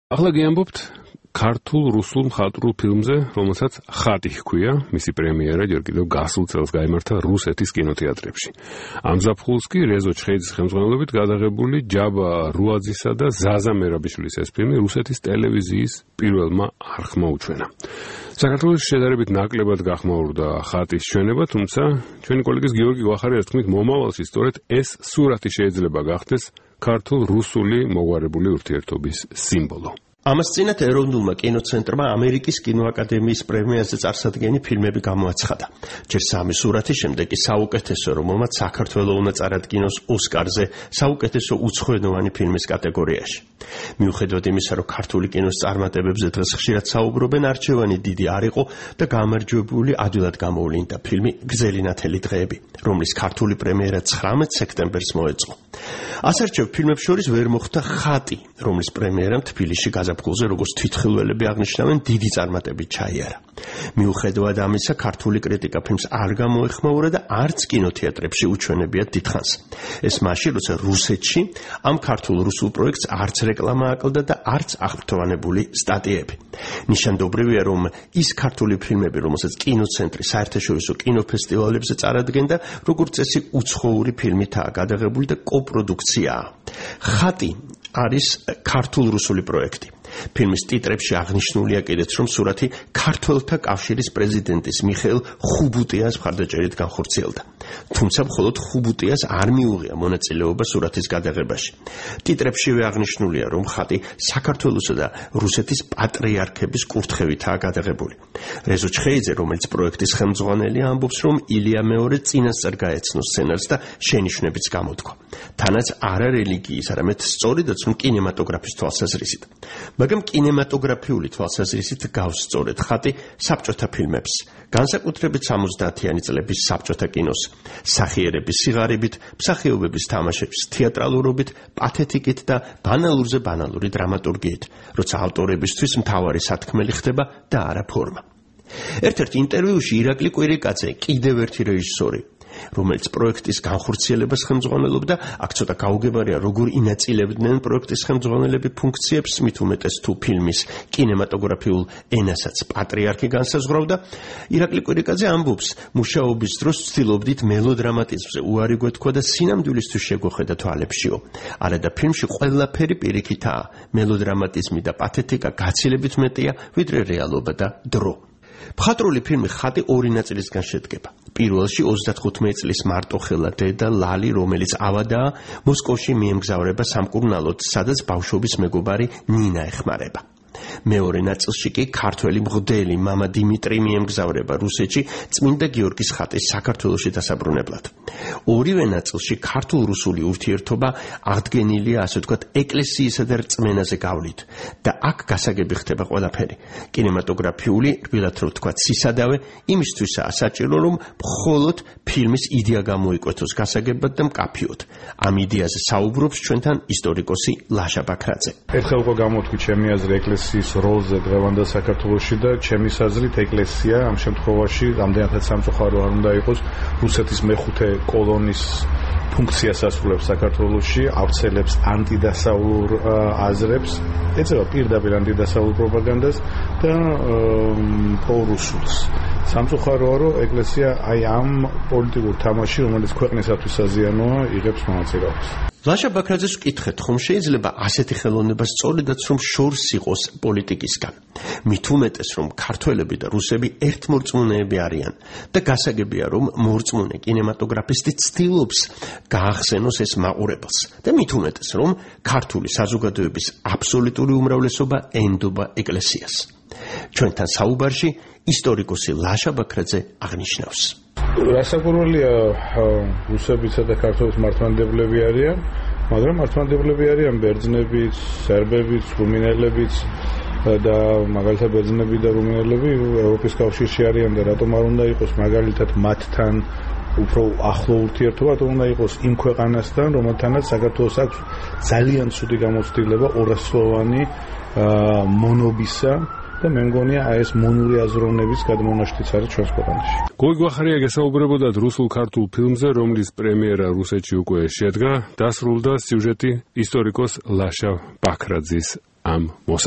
ახლა გიამბობთ ქართულ-რუსულ მხატვრულ ფილმზე, რომელსაც ხატი ჰქვია, მისი პრემიერა ჯერ კიდევ გასულ წელს გაიმართა რუსეთის კინოთეატრებში. ამ ზაფხულს კი რეზო ჩხეიძის ხელმძღვანელობით გადაღებული ჯაბა რუაძისა და ზაზა მერაბიშვილის ეს ფილმი რუსეთის ტელევიზიის პირველმა არხმა უჩვენა. საქართველოს შედარებით ნაკლებად გახმაურდა ხატის ჩვენება, თუმცა ჩვენი კოლეგის გიორგი გვახარიას თქმით, მომავალში სწორედ ეს სურათი შეიძლება გახდეს ქართულ-რუსული მოგვარებული ურთიერთობის სიმბოლო. ამას წინათ ეროვნულმა კინოცენტრმა ამერიკის კინოაკადემიის პრემიაზე წარსადგენი ფილმები გამოაცხადა. ჯერ სამი სურათის შემდეგ კი საუკეთესო, რომელმაც საქართველო უნდა წარადგინოს ოსკარზე საუკეთესო უცხოენოვანი ფილმის კატეგორიაში. მიუხედავად იმისა, რომ ქართული კინოს წარმატებებზე დღეს ხშირად საუბრობენ, არჩევანი დიდი არ იყო და გამარჯვებული ადვილად გამოვლინდა ფილმი გრძელი ნათელი დღეები, რომლის ქართული პრემიერა 19 სექტემბერს მოეწყო. ასარჩევ ფილმებს შორის ვერ მოხვდა ხატი, რომლის პრემიერამ თბილისში გაზაფხულზე, როგორც თვითხილველები აღნიშნავენ, დიდი წარმატებით ჩაიარა. მიუხედავად ამისა, ქართული კრიტიკა ფილმს არ გამოეხმაურა და არც კინოთეატრებში უჩვენებიათ დიდხანს. ეს მაშინ, როცა რუსეთში ამ ქართულ-რუსულ პროექტს არც რეკლამა აკლდა და არც აღფრთოვანებული სტატიები. ნიშანდობრივია, რომ ის ქართული ფილმები, რომელსაც კინოცენტრი საერთაშორისო კინოფესტივალებზე წარადგენდა, როგორც წესი უცხოური ფილმითაა გადაღებული და კოპროდუქციაა. ხატი არის ქართულ-რუსული პროექტი. ფილმის ტიტრებში აღნიშნულია კიდეც, რომ სურათი ქართველთა კავშირის პრეზიდენტის მიხეილ ხუბუტიას მხარდაჭერით განხორციელდა. თუმცა მხოლოდ ხუბუტიას არ მიუღია მონაწილეობა სურათის გადაღებაში. ტიტრებშივე აღნიშნულია, რომ ხატი საქართველოსა და რუსეთის პატრიარქების კურთხევითაა გადაღებული. რეზო ჩხეიძე, რომელიც პროექტის ხელმძღვანელია, ამბობს, რომ ილია მეორე წინასწარ გაეცნო სცენარს და შენიშვნებიც გამოთქვა. თანაც არა რელიგიის, არამედ სწორედაც რომ კინემატოგრაფის თვალსაზრისით. მაგრამ კინემატოგრაფიული თვალსაზრისით გავს სწორედ ხატი საბჭოთა ფილმებს, განსაკუთრებით 70-იანი წლების საბჭოთა კინოს, სახიერების სიღარიბით, მსახიობების თამაშების თეატრალურობით, პათეტიკით და ბანალურზე ბანალური დრამატურგიით, როცა ავტორებისთვის მთავარი სათქმელი ხდება და არა ფორმა. ერთ-ერთ ინტერვიუში ირაკლი კვირიკაძე, კიდევ ერთი რეჟისორი, რომელიც პროექტის განხორციელებას ხელმძღვანელობდა, აქ ცოტა გაუგებარია, როგორ ინაწილებდნენ პროექტის ხელმძღვანელები ფუნქციებს, მით უმეტეს თუ ფილმის კინემატოგრაფიულ ენასაც პატრიარქი განსაზღვრავდა. ირაკლი კვირიკაძე ამბობს, მუშაობის დროს ვცდილობდით მელოდრამატიზმზე უარი გვეთქვა და სინამდვილისთვის შეგვეხედა თვალებშიო. არადა ფილმში ყველაფერი პირიქითაა, მელოდრამატიზმი და პათეტიკა გაცილებით მეტია, ვიდრე რეალობა და დრო. მხატვრული ფილმი ხატი ორი ნაწილისგან შედგება. პირველში 35 წლის მარტოხელა დედა ლალი, რომელიც ავადაა, მოსკოვში მიემგზავრება სამკურნალოდ, სადაც ბავშვობის მეგობარი ნინა ეხმარება. მეორე ნაწილში კი ქართველი მღვდელი მამა დიმიტრი მიემგზავრება რუსეთში წმინდა გიორგის ხატის საქართველოში დასაბრუნებლად. ორივე ნაწილში ქართულ-რუსული ურთიერთობა აღდგენილია, ასე ვთქვათ, ეკლესიისა და რწმენაზე გავლით და აქ გასაგები ხდება ყველაფერი. კინემატოგრაფიული, რბილად რო ვთქვათ, სისადავე იმისთვისაა საჭირო, რომ მხოლოდ ფილმის იდეა გამოიკვეთოს გასაგებად და მკაფიოდ. ამ იდეაზე საუბრობს ჩვენთან ისტორიკოსი ლაშა ბაქრაძე. ერთხელ უკვე გამოთქვი ჩემი აზრი ეკლესიის როლზე დღევანდელ საქართველოში და ჩემი აზრით ეკლესია ამ შემთხვევაში რამდენადაც სამწუხარო არ უნდა იყოს, რუსეთის მეხუთე კოლონის ფუნქციას ასრულებს საქართველოში, ავრცელებს ანტიდასავლურ აზრებს, ეწევა პირდაპირ ანტიდასავლურ პროპაგანდას და პრორუსულს. სამწუხაროა, რომ ეკლესია აი ამ პოლიტიკურ თამაში, რომელიც ქვეყნისათვის საზიანოა, იღებს მონაწილეობას. ლაშა ბაქრაძეს ვკითხეთ, ხომ შეიძლება ასეთი ხელოვნება სწორედაც რომ შორს იყოს პოლიტიკისგან. მით უმეტეს, რომ ქართველები და რუსები ერთმორწმუნეები არიან და გასაგებია, რომ მორწმუნე კინემატოგრაფისტი ცდილობს გაახსენოს ეს მაყურებელს და მით უმეტეს, რომ ქართული საზოგადოების აბსოლუტური უმრავლესობა ენდობა ეკლესიას. ჩვენთან საუბარში ისტორიკოსი ლაშა ბაქრაძე აღნიშნავს. რასაკვირველია, რუსებიცა და ქართველის მართლმადიდებლები არიან, მაგრამ მართლმადიდებლები არიან ბერძნებიც, სერბებიც, რუმინელებიც და მაგალითად ბერძნები და რუმინელები ევროპის კავშირში არიან და რატომ არ უნდა იყოს მაგალითად მათთან უფრო ახლო ურთიერთობა, რატომ უნდა იყოს იმ ქვეყანასთან, რომელთანაც საქართველოს აქვს ძალიან ცუდი გამოცდილება ორასლოვანი მონობისა და მე მგონია ეს მონური აზროვნების გადმონაშთიც არის ჩვენს ქვეყანაში. გოგი გვახარია გესაუბრებოდათ რუსულ-ქართულ ფილმზე, რომლის პრემიერა რუსეთში უკვე შედგა, დასრულდა სიუჟეტი ისტორიკოს ლაშა ბაქრაძის ამ მოსაზრებით.